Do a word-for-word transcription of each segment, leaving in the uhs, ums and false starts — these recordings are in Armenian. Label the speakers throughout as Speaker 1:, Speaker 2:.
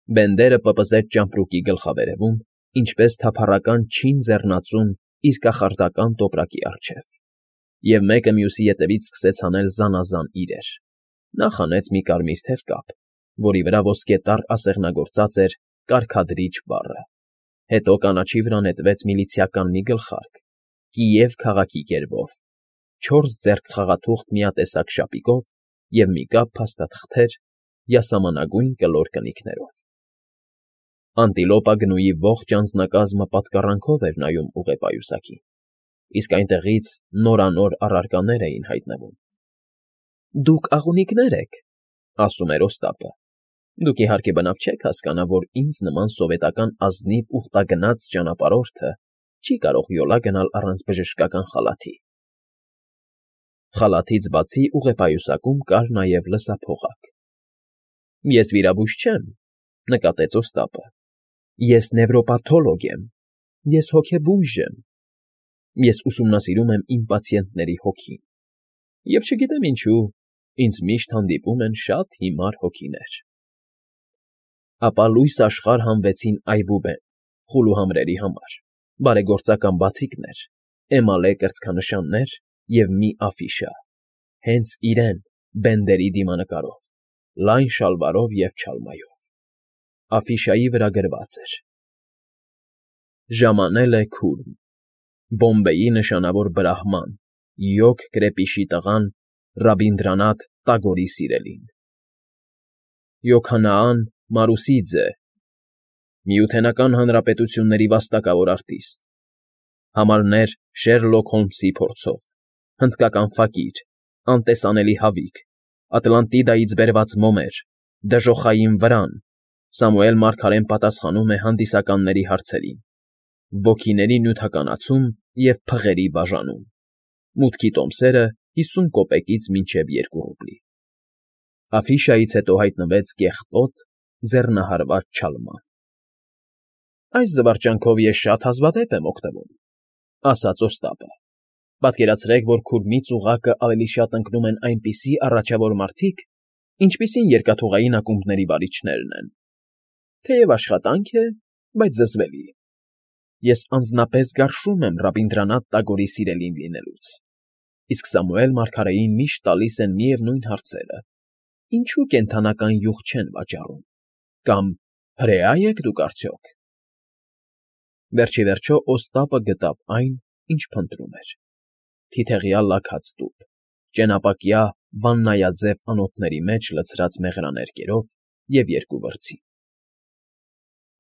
Speaker 1: Բենդերը պպզեց ճամպրուկի գլխավերևում, ինչպես թափառական չին ձեռնածուն իր կախարդական տոպրակի առջև, և մեկը մյուսի ետևից սկսեց հանել զանազան իրեր. նա խանեց մի կարմիր թևկապ, որի վրա ոսկետառ ասեղնագործած էր «Կարգադրիչ» բառը, հետո կանաչի վրա նետվեց միլիցիական մի գլխարկ, Կիև քաղաքի գերբով, չորս ձեռք խաղաթուղթ միատեսակ շապիկով և մի կապ փաստաթղթեր յասամանագույն կլոր կնիքներով։ Անտիլոպա Գնուի ողջ անձնակազմը պատկառանքով էր նայում ուղեպայուսակին, իսկ այնտեղից նորանոր առարկաներ էին հայտնվում։ ֊ Դուք աղունիկներ եք,֊ ասում էր Օստապը,֊ դուք իհարկե բնավ չեք հասկանա, որ ինձ նման սովետական ազնիվ ուխտագնաց ճանապարհորդը չի կարող յոլա գնալ առանց բժշկական խալաթի։ Խալաթից բացի ուղեպայուսակում կար նաև լսափողակ։ ֊ Ես վիրաբույժ չեմ,֊ նկատեց Օստապը,֊ ես նևրոպաթոլոգ եմ, ես հոգեբույժ եմ, ես ուսումնասիրում եմ իմ պացիենտների հոգին, և չգիտեմ ինչու, ինձ միշտ հանդիպում են շատ հիմար հոգիներ։ Ապա լույս աշխարհ հանվեցին այբուբեն, խուլուհամրերի համար, բարեգործական բացիկներ, էմալե կրծքանշաններ և մի աֆիշա, հենց իրեն՝ Բենդերի դիմանկարով, լայն շալվարով և չալմայով։ Աֆիշայի վրա գրված էր. «Ժամանել է Քուրմ, Բոմբեյի նշանավոր բրահման, յոգ կրեպիշի տղան Ռաբինդրանաթ Տագորի սիրելին։ Յոքանաան Մարուսիձե, Միութենական Հանրապետությունների վաստակավոր արտիստ, համարներ Շերլոք Հոլմսի փորձով, հնդկական ֆակիր, անտեսանելի հավիկ, Ատլանտիդայից բերված մոմեր, դժոխային վրան, Սամուել Մարգարեն պատասխանում է հանդիսականների հարցերին, ոգիների նյութականացում և փղերի բաժանում, մուտքի տոմսերը հիսուն կոպեկից մինչև երկու ռուբլի»։ Աֆիշայից հետո հայտնվեց կեղտոտ, ձեռնահարված չալման։ «Այս զվարճանքով ես շատ հազվադեպ եմ օգտվում,֊ ասաց Օստապը,֊ պատկերացրեք, որ Քուրմից ուղղակը ավելի շատ ընկնում են այնպիսի առաջավոր մարդիկ, ինչպիսին երկաթուղային ակումբների վարիչներն են։ Թեև աշխատանք է, բայց զզվելի։ Ես անձնապես գարշում եմ Ռաբինդրանաթ Տագորի սիրելին լինելուց, իսկ Սամուել Մարգարեին միշտ տալիս են միևնույն հարցերը. ինչու կենդանական յուղ չեն վաճառում, կամ հրեա՞ եք դուք արդյոք։ Վերջիվերջո Օստապը գտավ այն, ինչ փնտրում էր. թիթեղյա լաքած տուփ, ճենապակյա վաննայաձև անոթների մեջ լցրած մեղրաներկերով և երկու վրձին։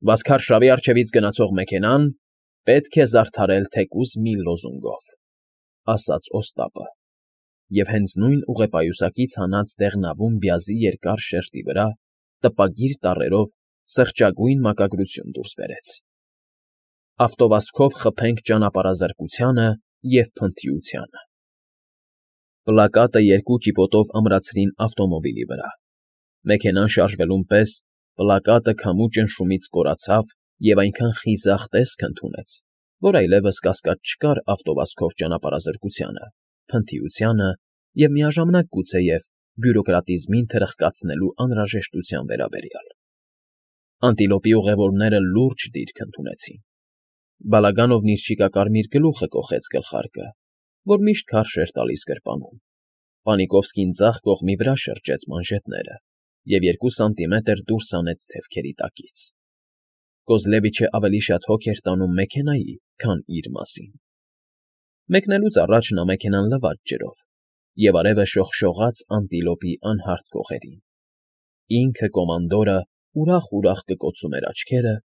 Speaker 1: «Վասքարշավի առջևից գնացող մեքենան պետք է զարդարել թեկուզ մի լոզունգով,֊ ասաց Օստապը, և հենց նույն ուղեպայուսակից հանած դեղնավուն բյազի երկար շերտի վրա տպագիր տառերով սրճագույն մակագրություն դուրս բերեց. «Ավտովազքով խփենք ճանապարհազրկությանը և փնթիությանը»։ Պլակատը երկու ճիպոտով ամրացրին ավտոմոբիլի վրա։ Մեքենան շարժվելուն պես պլակատը քամու ճնշումից կորացավ և այնքան խիզախ տեսք ընդունեց, որ այլևս կասկած չկար ավտովազքով ճանապարհազրկությանը, փնթիությանը և միաժամանակ գուցեև բյուրոկրատիզմին թրխկացնելու անհրաժեշտության վերաբերյալ։ Անտիլոպի ուղևորները լուրջ դիրք ընդունեցին։ Բալագանովն իր շիկակարմիր գլուխը կոխեց գլխարկը, որ միշտ քարշ էր տալիս գրպանում, Պանիկովսկին ձախ կողմի վրա շրջեց մանժետները և երկու սանտիմետր դուրս հանեց թևքերի տակից։ Կոզլևիչը ավելի շատ հոգ էր տանում մեքենայի, քան իր մասին։ Մեկնելուց առաջ նա մեքենան լվաց ջրով, և արևը շողշողաց Անտիլոպի անհարթ կողերին։ Ինքը, կոմանդորը, ուրախ֊ուրախ կկոցում էր աչքերը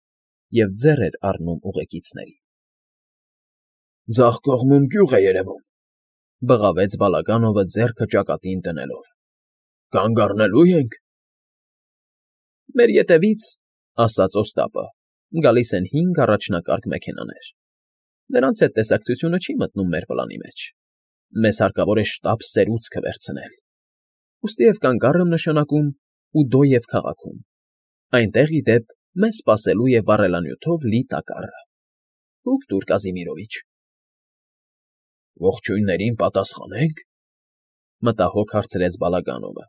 Speaker 1: և ձեռ էր առնում ուղեկիցներին։ ֊ Ձախ կողմում գյուղ է երևում,֊ բղավեց Բալագանովը ձեռքը ճակատին դնելով,֊ կանգ առնելո՞ւ ենք։ ֊ Մեր ետևից,֊ ասաց Օստապը,֊ գալիս են հինգ առաջնակարգ մեքենաներ։ Նրանց հետ տեսակցությունը չի մտնում մեր պլանի մեջ։ Մեզ հարկավոր է շտապ սերուցքը վերցնել։ Ուստիև կանգ առ եմ նշանակում Ուդոև քաղաքում, այնտեղ, ի դեպ, մեզ սպասելու է վառելանյութով լի տակառը։ Հուք տուր, Կազիմիրովիչ։ Ողջույններին պատասխանե՞նք,֊ մտահոգ հարցրեց Բալագանովը։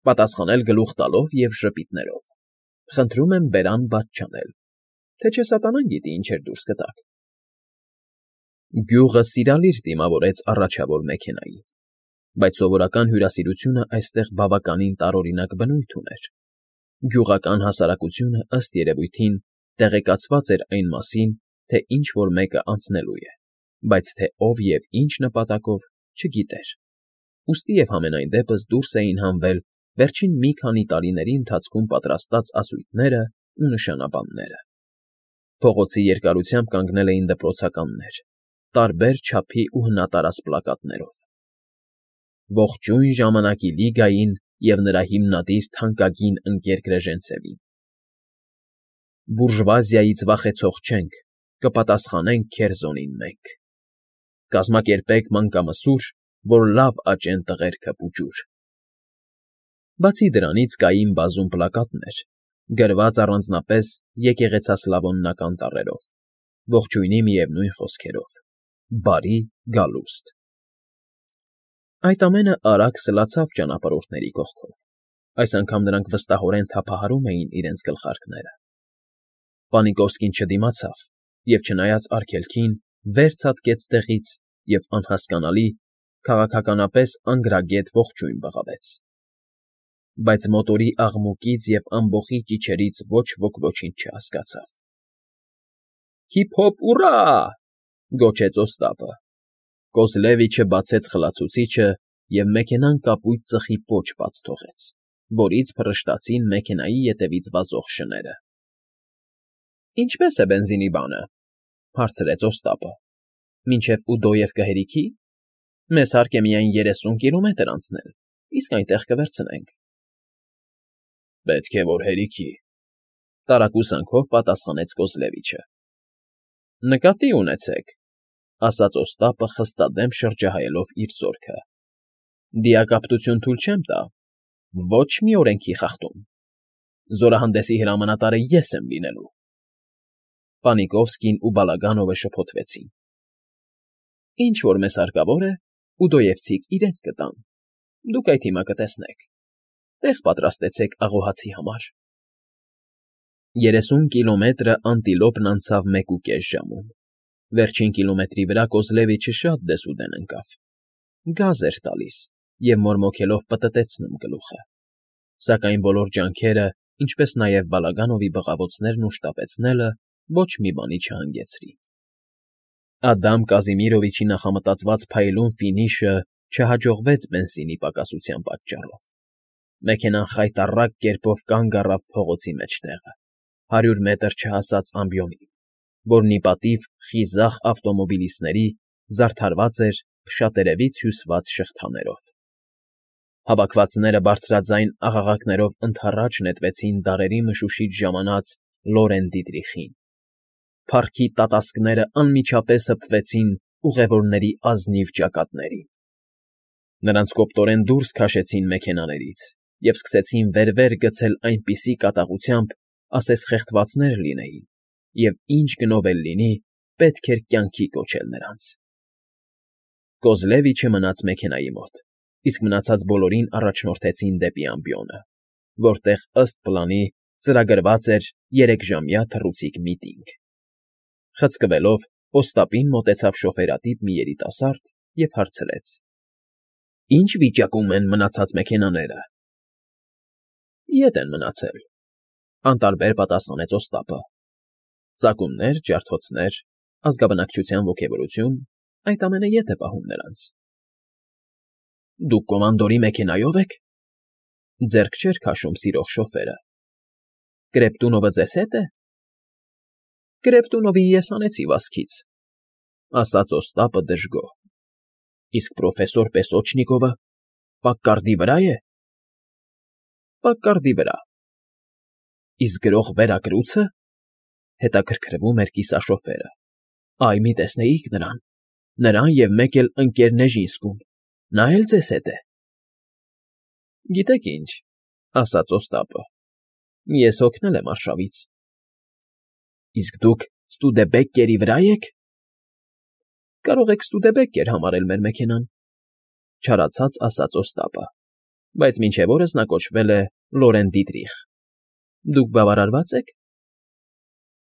Speaker 1: Պատասխանել գլուխ տալով և ժպիտներով։ Խնդրում եմ բերան բաց չանել, թե չէ սատանան գիտի ինչեր դուրս կտաք։ Գյուղը սիրալիր դիմավորեց առաջավոր մեքենային, բայց սովորական հյուրասիրությունը այստեղ բավականին տարօրինակ բնույթ ուներ։ Գյուղական հասարակությունը, ըստ երևույթին, տեղեկացված էր այն մասին, թե ինչ֊որ մեկը անցնելու է, բայց թե ով և ինչ նպատակով չգիտեր, ուստի և համենայն դեպս դուրս էին հանվել վերջին մի քանի տարիների ընթացքում պատրաստած ասույթներն ու նշանաբանները։ Փողոցի երկարությամբ կանգնել էին դպրոցականներ, տարբեր չափի ու հնատարած պլակատներով. «Ողջույն ժամանակի Լիգային և նրա հիմնադիր թանկագին ընկեր Կրեժենցևին», «Բուրժուազիայից վախեցող չենք, կպատասխանենք քերզոնին մենք», «Կազմակերպեք մանկամսուր, որ լավ աճեն տղերքը պուճուր»։ Բացի դրանից կային բազում պլակատներ, գրված առանձնապես եկեղեցասլավոնական տառերով, ողջույնի միևնույն խոսքերով. «Բարի գալուստ»։ Այդ ամենը արագ սլացավ ճանապարհորդների կողքով, այս անգամ նրանք վստահորեն թափահարում էին իրենց գլխարկները։ Պանիկովսկին չդիմացավ և, չնայած արգելքին, վեր ցատկեց տեղից և անհասկանալի, քաղաքականապես անգրագետ ողջույն բղավեց։ Բայց մոտորի աղմուկից և ամբոխի ճիչերից ոչ ոք ոչինչ չհասկացավ։ «Հիփ֊հոփ ուռա!» գոչեց Օստապը։ Կոզլևիչը բացեց խլացուցիչը և մեքենան կապույտ ծխի պոչ բաց թողեց, որից փռշտացին մեքենայի ետևից վազող շները։ «Ինչպե՞ս է բենզինի բանը,֊ հարցրեց Օստապը,֊ մինչև Ուդոև կհերիքի։ Մեզ հարկ է միայն երեսուն կիլոմետր անցնել, իսկ այնտեղ կվերցնենք»։ «Պետք է որ հերիքի,֊ տարակուսանքով պատասխանեց Կոզլևիչը։ «Նկատի ունեցեք,֊ ասաց Օստապը, խստադեմ շրջահայելով իր զորքը,֊ դիակապտություն թույլ չեմ տա, ոչ մի օրենքի խախտում։ Զորահանդեսի հրամանատարը ես եմ լինելու»։ Պանիկովսկին ու Բալագանովը շփոթվեցին։ «Ինչ որ մեզ հարկավոր է, ուդոևցիք իրենք կտան, դուք այդ հիմա կտեսնեք։ Տեղ պատրաստեցեք աղոհացի համար»։ Երեսուն կիլոմետրը անտիլոպն անցավ մեկուկես ժամում։ Վերջին կիլոմետրի վրա Կոզլևիչը շատ դեսուդեն ընկավ։ Գազ էր տալիս և մորմոքելով պտտեցնում գլուխը։ Սակայն բոլոր ջանքերը, ինչպես նաև Բալագանովի բղավոցներն ու շտապեցնելը ոչ մի բանի չհանգեցրին։ Ադամ Կազիմիրովիչի նախամտածված փայլուն ֆինիշը չհաջողվեց բենզինի պակասության պատճառով։ Մեքենան խայտառակ կերպով կանգ առավ փողոցի մեջտեղը, հարյուր մետր չհասած ամբիոնին, որն ի պատիվ խիզախ ավտոմոբիլիստների զարդարված էր փշատերևից հյուսված շղթաներով։ Հավաքվածները բարձրաձայն աղաղակներով ընդառաջ նետվեցին դարերի մշուշից ժամանած Լորեն Դիտրիխին։ Փառքի տատասկները անմիջապես հպվեցին ուղևորների ազնիվ ճակատներին։ Նրանց կոպտորեն դուրս քաշեցին մեքենաներից և սկսեցին վեր֊վեր գցել այնպիսի կատաղությամբ, ասես խեղդվածներ լինեին, և ինչ գնով էլ լինի, պետք էր կյանքի կոչել նրանց։ Կոզլևիչը մնաց մեքենայի մոտ, իսկ մնացած բոլորին առաջնորդեցին դեպի ամբիոնը, որտեղ, ըստ պլանի, ծրագրված էր երեքժամյա թռուցիկ միտինգ։ Խցկվելով, Օստապին մոտեցավ շոֆերատիպ մի երիտասարդ և հարցրեց. «Ի՞նչ վիճակում են մնացած մեքենաները»։ «Ետ են մնացել,֊ անտարբեր պատասխանեց Օստապը,֊ ծակումներ, ջարդոցներ, ազգաբնակչության ոգևորություն, այդ ամենը ետ է պահում նրանց»։ «Դուք կոմանդորի մեքենայո՞վ եք,֊ ձեռք չէր քաշում սիրող շոֆերը։ Կրեպտունովը ձեզ հետ է։ Կրեպտունովին ես հանեցի վազքից,֊ ասաց Օստապը դժգոհ։ Իսկ պրոֆեսոր Պեսոչնիկովը պակկարդի վրա է։ Պակկարդի վրա։ Իսկ գրող Վերակրուցը,֊ հետաքրքրվում էր կիսաշոֆերը։ Այ մի տեսնեիք նրան, նրան և մեկ էլ ընկեր Նեժինսկուն, նա էլ ձեզ հետ է։ Գիտեք ինչ,֊ ասաց Օստապը,֊ ես հոգնել եմ արշավից։ Իսկ դուք Ստուդեբեկկերի վրա եք։ Կարող եք Ստուդեբեկկեր համարել մեր մեքենան,֊ չարացած ասաց Օստապը, բայց մինչև օրս նա կոչվել է Լորեն Դիտրիխ։ Դուք բավարարվա՞ծ եք։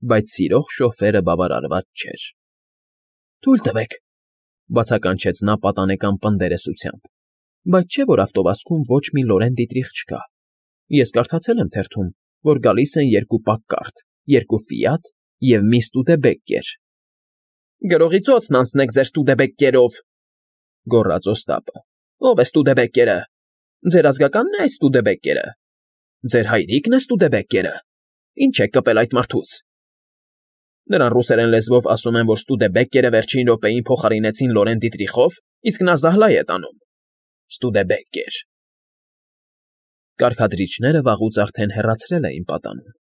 Speaker 1: Բայց սիրող շոֆերը բավարարված չէր։ ֊ Թույլ տվեք,֊ բացականչեց նա պատանեկան պնդերեսությամբ,֊ բայց չէ՞ որ ավտովազքում ոչ մի Լորեն դիտրիխ չկա։ Ես կարդացել եմ թերթում, որ գալիս են երկու Պակկարդ, երկու Ֆիատ և մի Ստուդեբեկկեր։ ֊ Գրողի ծոցն անցնեք ձեր Ստուդեբեկկերով,֊ գոռաց Օստապը։ ֊ Ո՞վ է Ստուդեբեկկերը։ Ձեր ազգակա՞նն է այս Ստուդեբեկկերը։ Ձեր հայրի՞կն է Ստուդեբեկկերը։ Ինչ եք կպել այդ մարդուց։ Նրան ռուսերեն լեզվով ասում են, որ Ստուդեբեկկերը վերջին րոպեին փոխարինեցին Լորեն Դիտրիխով, իսկ նա զահլա է տանում։ Ստուդեբեկկեր… Կարգադրիչները վաղուց արդեն հեռացրել էին պատանում,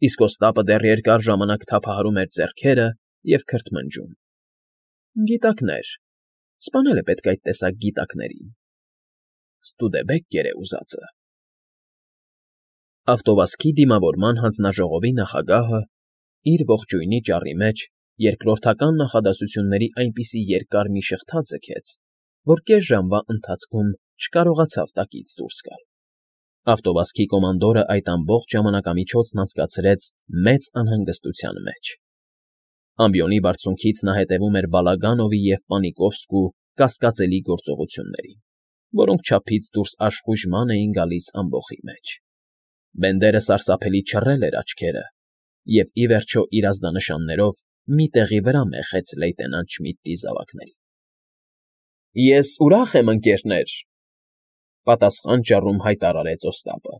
Speaker 1: իսկ Օստապը դեռ երկար ժամանակ թափահարում էր ձեռքերը և քրթմնջում։ Գիտակներ… Սպանել է պետք այդ տեսակ գիտակներին… Ստուդեբեկկեր է ուզածը… Ավտովազքի դիմավորման հանձնաժողովի նախագահը, իր ողջույնի ճառի մեջ, երկրորդական նախադասությունների այնպիսի երկար մի շղթա ձգեց, որ կես ժամվա ընթացքում չկարողացավ տակից դուրս գալ։ Ավտովազքի կոմանդորը այդ ամբողջ ժամանակամիջոցն անցկացրեց մեծ անհանգստության մեջ։ Ամբիոնի բարձունքից նա հետևում էր Բալագանովի և Պանիկովսկու կասկածելի գործողություններին, որոնք չափից դուրս աշխույժման էին գալիս ամբոխի մեջ։ Բենդերը սարսափելի չռել էր աչքերը և, ի վերջո, իր ազդանշաններով մի տեղի վրա մեխեց լեյտենանտ Շմիդտի զավակներին։ ֊ Ես ուրախ եմ, ընկերներ,֊ պատասխան ճառում հայտարարեց Օստապը,֊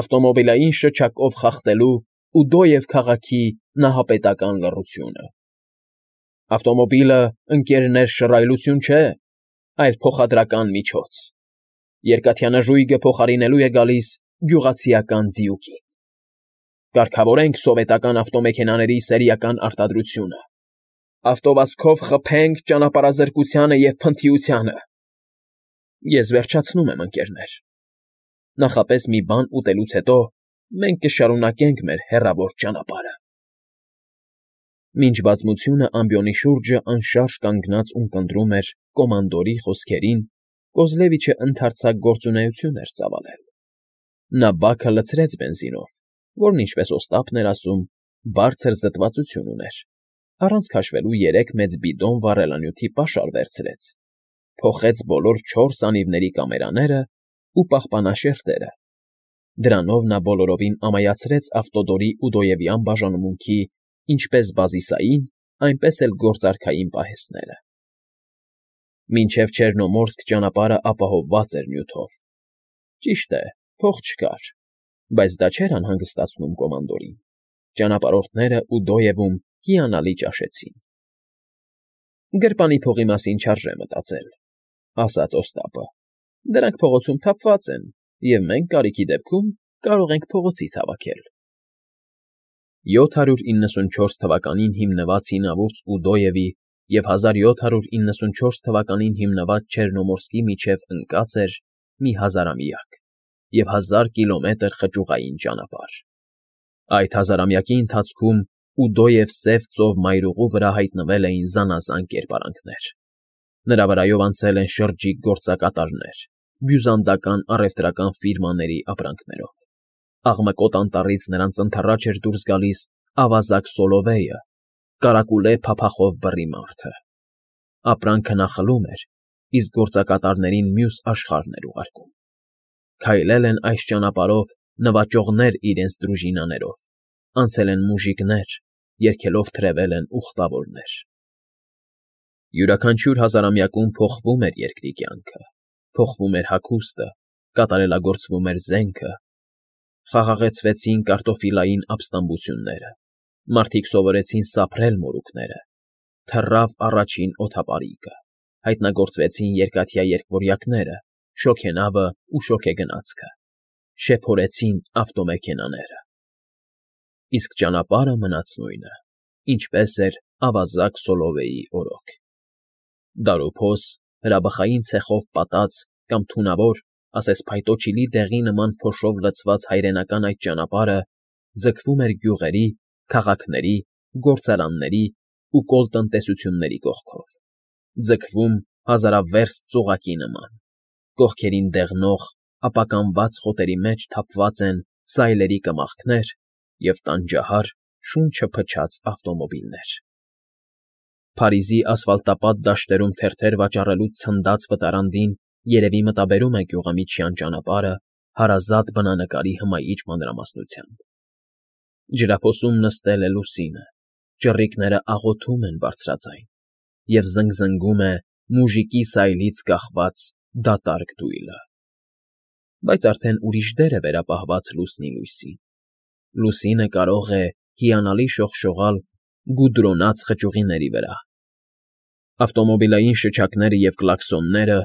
Speaker 1: ավտոմոբիլային շչակով խախտելու Ուդոև քաղաքի նահապետական լռությունը։ Ավտոմոբիլը, ընկերներ, շռայլություն չէ, այլ փոխադրական միջոց։ Երկաթյանը ժույգը փոխարինելու է գալիս գյուղացիական ձիուկին։ Կարգավորենք սովետական ավտոմեքենաների սերիական արտադրությունը։ Ավտովազքով խփենք ճանապարհազրկությանը և փնթիությանը։ Ես վերջացնում եմ, ընկերներ։ Նախապես մի բան ուտելուց հետո մենք կշարունակենք մեր հեռավոր ճանապարհը։ Մինչ բազմությունը ամբիոնի շուրջը անշարժ կանգնած ունկնդրում էր կոմանդորի խոսքերին, Կոզլևիչը ընդարձակ գործունեություն էր ծավալել։ Նա բաքը լցրեց բենզինով, որն, ինչպես Օստապն էր ասում, բարձր զտվածություն ուներ, առանց քաշվելու երեք մեծ բիդոն վառելանյութի պաշար վերցրեց, փոխեց բոլոր չորս անիվների կամերաներն ու պահպանաշերտերը։ Դրանով նա բոլորովին ամայացրեց ավտոդորի Ուդոևյան բաժանմունքի ինչպես բազիսային, այնպես էլ գործարքային պահեստները։ Մինչև Չեռնոմորսկ ճանապարհը ապահովված էր նյութով։ Ճիշտ է, փող չկար, բայց դա չէր անհանգստացնում կոմանդորին։ Ճանապարհորդները Ուդոևում հիանալի ճաշեցին։ Գրպանի փողի մասին չարժե մտածել,֊ ասաց Օստապը։ Դրանք փողոցում թափված են, և մենք կարիքի դեպքում կարող ենք փողոցից հավաքել։ յոթ հարյուր իննսունչորս թվականին հիմնված հինավուրց Ուդոևի և հազար յոթ հարյուր իննսունչորս թվականին հիմնված Չեռնոմորսկի միջև ընկած էր մի հազարամյակ և հազար կիլոմետր խճուղային ճանապարհ։ Այդ հազարամյակի ընթացքում Ուդոև Սև ծով մայրուղու վրա հայտնվել էին զանազան կերպարանքներ։ Նրա վրայով անցել են շրջիկ գործակատարներ, բյուզանդական առևտրական ֆիրմաների ապրանքներով։ Աղմկոտ անտառից նրանց ընդառաջ էր դուրս գալիս ավազակ Սոլովեյը, կարակուլե փափախով բռի մարդը։ Ապրանքը նա խլում էր, իսկ գործակատարներին մյուս աշխարհն էր ուղարկում։ Քայլել են այս ճանապարհով նվաճողներ իրենց դրուժինաներով, անցել են մուժիկներ, երգելով թրևել են ուխտավորներ։ Յուրաքանչյուր հազարամյակում փոխվում էր երկրի կյանքը, փոխվում էր հագուստը, կատարելագործվում էր զենքը, խաղաղեցվեցին կարտոֆիլային ապստամբությունները, մարդիկ սովորեցին սափրել մորուքները, թռավ առաջին օդապարիկը, հայտնագործվեցին երկաթյա երկվորյակները, շոգենավը ու շոգեգնացքը, շեփորեցին ավտոմեքենաները։ Իսկ ճանապարհը մնաց նույնը, ինչպես էր ավազակ Սոլովեյի օրոք։ Դարոփոս, հրաբխային ցեխով պատած կամ թունավոր, ասես փայտոջիլի դեղի նման փոշով լցված հայրենական այդ ճանապարհը ձգվում էր գյուղերի, քաղաքների, գործարանների ու կոլտնտեսությունների կողքով, ձգվում հազարավերս ծուղակի նման, կողքերին դեղնող, ապականված խոտերի մեջ թափված են սայլերի կմախքներ և տանջահար, շունչը փչած ավտոմոբիլներ։ Փարիզի ասֆալտապատ դաշտերում թերթեր վաճառելուց ցնդած վտարանդին երևի մտաբերում է գյուղամիջյան ճանապարհը հարազատ բնանկարի հմայիչ մանրամասնությամբ։ Ջրափոսում նստել է Լուսինը, ճռիկները աղոթում են բարձրաձայն, և զնգզնգում է մուժիկի սայլից կախված դատարկ դույլը։ Բայց արդեն ուրիշ դեր է վերապահված լուսնի լույսին։ Լուսինը կարող է հիանալի շողշողալ գուդրոնած խճուղիների վրա։ Ավտոմոբիլային շչակները և կլաքսոնները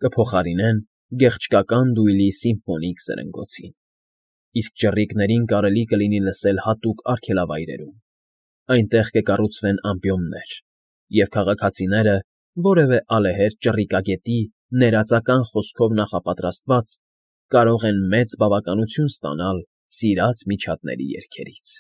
Speaker 1: կփոխարինեն գեղչկական դույլի սիմֆոնիկ սրընգոցին, իսկ ճռիկներին կարելի կլինի լսել հատուկ արգելավայրերում, այնտեղ կկառուցվեն ամպիոններ, և քաղաքացիները որևէ ալեհեր ճռիկագետի ներածական խոսքով նախապատրաստված կարող են մեծ բավականություն ստանալ սիրած միջատների երգերից։